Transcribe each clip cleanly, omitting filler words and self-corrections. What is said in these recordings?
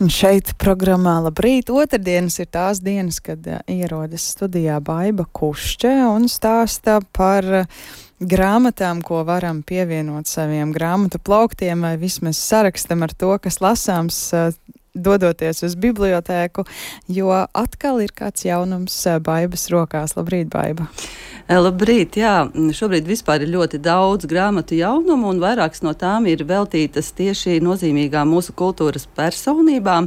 Un šeit programmā Labrīt otrdienas ir tās dienas, kad ierodas studijā Baiba Kušķe un stāsta par grāmatām, ko varam pievienot saviem grāmatu plauktiem vai vismaz sarakstam ar to, kas lasāms, dodoties uz bibliotēku, jo atkal ir kāds jaunums Baibas rokās. Labrīt, Baiba! Labrīt, jā. Šobrīd vispār ir ļoti daudz grāmatu jaunumu, un vairākas no tām ir veltītas tieši nozīmīgām mūsu kultūras personībām.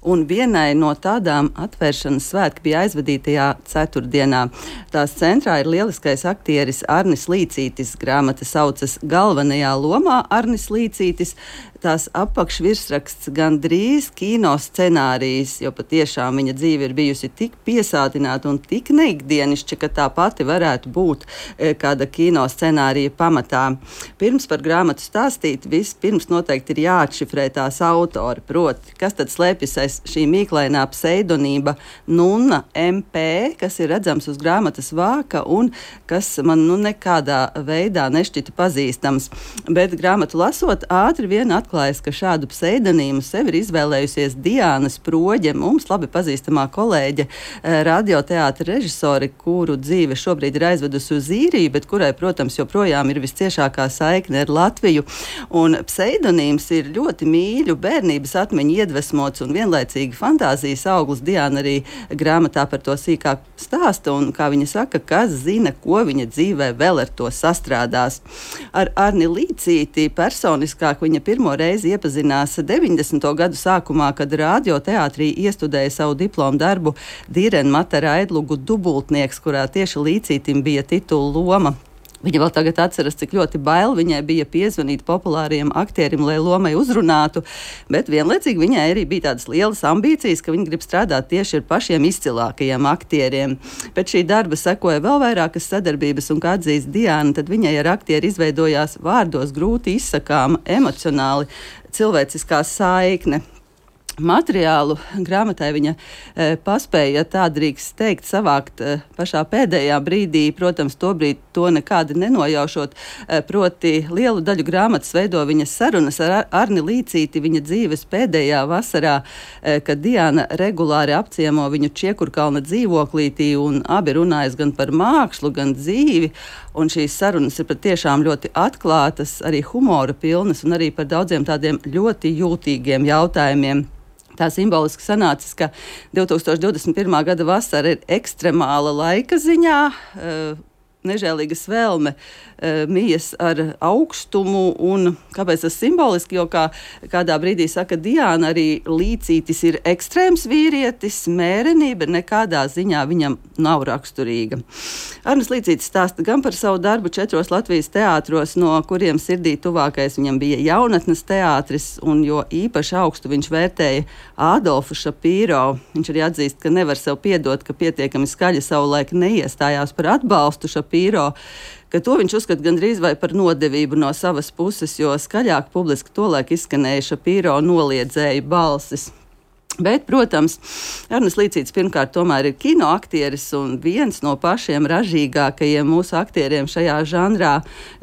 Un vienai no tādām atvēršanas svētki bija aizvadītajā ceturtdienā. Tās centrā ir lieliskais aktieris Arnis Līcītis. Grāmata saucas Galvenajā lomā Arnis Līcītis. Tās apakšvirsraksts gandrīz kino scenārijs, jo patiešām viņa dzīve ir bijusi tik piesātināta un tik neikdienišķa, ka tā pati varētu būt kāda kino scenārija pamatā. Pirms par grāmatu stāstīt, vispirms noteikti ir jāatšifrē tās autori, proti, kas tad slēpjas aiz šī mīklainā pseidonība Nunna MP, kas ir redzams uz grāmatas vāka un kas man nekādā veidā nešķita pazīstams. Bet grāmatu lasot, ātri vien atklājas, ka šādu pseidonīmu sev ir izvēlējusies Diāna Sproģe, mums labi pazīstamā kolēģe, radioteātra režisori, kuru dzīve šobrīd ir aizvedusi uz Īriju, bet kurai, protams, joprojām ir visciešākā saikne ar Latviju. Un pseidonīms ir ļoti mīļu bērnības atmiņu iedvesmots un vienlaicīgi fantāzijas auglis. Diāna arī grāmatā par to sīkāk stāsta un, kā viņa saka, kas zina, ko viņa dzīvē vēl ar to sastrādās. Ar Arni Līcīti personiskāk viņa pirmo reizi iepazinās 90. gadu sākumā, kad radioteātrī iestudēja savu diplomu darbu Dīrenmata Raidlugu Dubultnieks, kurā tieši Līcītim bija titula loma. Viņa vēl tagad atceras, cik ļoti bail viņai bija piezvanīt populāriem aktierim, lai lomai uzrunātu, bet vienlaicīgi viņai arī bija tādas lielas ambīcijas, ka viņa grib strādāt tieši ar pašiem izcilākajiem aktieriem. Pēc šī darba sekoja vēl vairākas sadarbības, un kā atzīst Diāna, tad viņai ar aktieri izveidojās vārdos grūti izsakāma, emocionāli cilvēciskā saikne. Materiālu grāmatai viņa paspēja, ja tā drīkst teikt, savākt pašā pēdējā brīdī, protams, tobrīd to nekādi nenojaušot, proti lielu daļu grāmatas veido viņas sarunas ar Arni Līcīti viņa dzīves pēdējā vasarā, kad Diāna regulāri apciemo viņu Čiekurkalna dzīvoklītī un abi runājas gan par mākslu, gan dzīvi, un šīs sarunas ir patiešām ļoti atklātas, arī humora pilnas un arī par daudziem tādiem ļoti jūtīgiem jautājumiem. Tā simboliski sanācis, ka 2021. gada vasara ir ekstremāla laika ziņā, nežēlīgas vēlme mijas ar augstumu, un kāpēc tas simboliski, jo kādā brīdī saka Diāna, arī Līcītis ir ekstrēms vīrietis, mērenība nekādā ziņā viņam nav raksturīga. Arnis Līcītis stāsta gan par savu darbu 4 Latvijas teātros, no kuriem sirdī tuvākais viņam bija Jaunatnes teātris, un jo īpaši augstu viņš vērtēja Ādolfu Šapīro. Viņš arī atzīst, ka nevar sev piedot, ka pietiekami skaļi savulaik neiestājās par atbalstu Šapīro, ka to viņš uzskata gandrīz vai par nodevību no savas puses, jo skaļāk publiski tolaik izskanēja Šapīro noliedzēju balsis. Bet, protams, Arnis Līcītis pirmkārt tomēr ir kinoaktieris un viens no pašiem ražīgākajiem mūsu aktieriem šajā žanrā.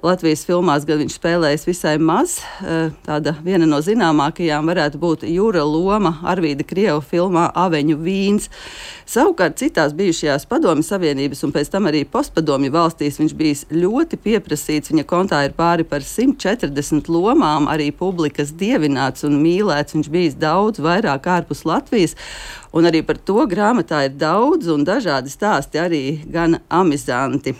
Latvijas filmās gan viņš spēlējis visai maz. Tāda viena no zināmākajām varētu būt Jura loma Arvīda Krieva filmā Aveņu vīns. Savukārt citās bijušajās Padomju Savienības un pēc tam arī postpadomju valstīs viņš bijis ļoti pieprasīts. Viņa kontā ir pāri par 140 lomām, arī publikas dievināts un mīlēts. Viņš bijis daudz vairāk ārpus Latvijas, un arī par to grāmatā ir daudz un dažādi stāsti, arī gan amizanti.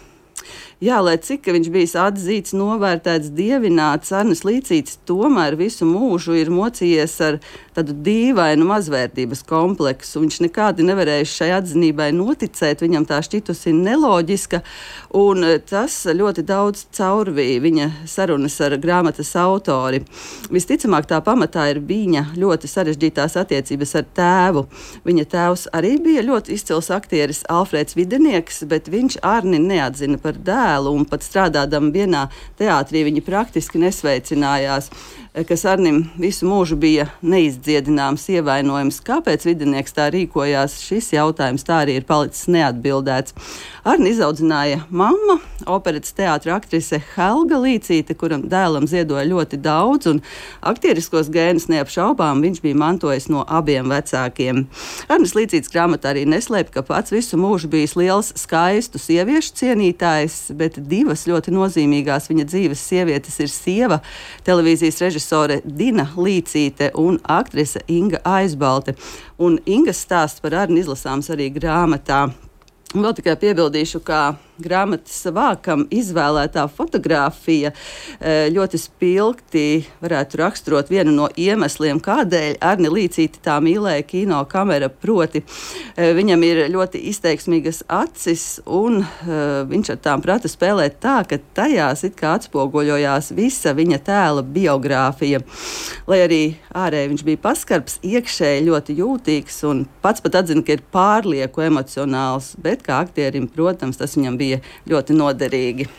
Jā, lai cik viņš bijis atzīts, novērtēts, dievināts, Arnis Līcītis tomēr visu mūžu ir mocījies ar tādu dīvainu mazvērtības kompleksu. Viņš nekādi nevarēja šai atzinībai noticēt, viņam tā šķitusi neloģiska, un tas ļoti daudz caurvīja viņa sarunas ar grāmatas autori. Visticamāk, tā pamatā ir viņa ļoti sarežģītās attiecības ar tēvu. Viņa tēvs arī bija ļoti izcils aktieris Alfrēds Videnieks, bet viņš Arni neatzina par dēlu, un pat strādādam vienā teātrī viņi praktiski nesveicinājās. kas Arnim visu mūžu bija neizdziedināms ievainojums. Kāpēc Videnieks tā rīkojās? Šis jautājums tā arī ir palicis neatbildēts. Arni izaudzināja mamma, operetes teātra aktrise Helga Līcīte, kuram dēlam ziedoja ļoti daudz, un aktieriskos gēnus neapšaubām viņš bija mantojis no abiem vecākiem. Arnis Līcītes grāmatā arī neslēpj, ka pats visu mūžu bijis liels skaistu sieviešu cienītājs, bet divas ļoti nozīmīgās viņa dzīves sievietes ir sieva, televīzijas režisore Dina Līcīte un aktrise Inga Aizbalte. Un Ingas stāsts par Arni izlasāms arī grāmatā. Un vēl tikai piebildīšu, ka grāmatas vākam izvēlētā fotogrāfija ļoti spilgti varētu raksturot vienu no iemesliem, kādēļ Arni Līcīte tā mīlēja kino kamera, proti viņam ir ļoti izteiksmīgas acis, un viņš ar tām prata spēlēt tā, ka tajās it kā atspoguļojās visa viņa tēla biogrāfija. Lai arī ārēji viņš bija paskarbs, iekšēji ļoti jūtīgs un pats pat atzina, ka ir pārlieku emocionāls, bet kā aktierim, protams, tas viņam bija ļoti noderīgi.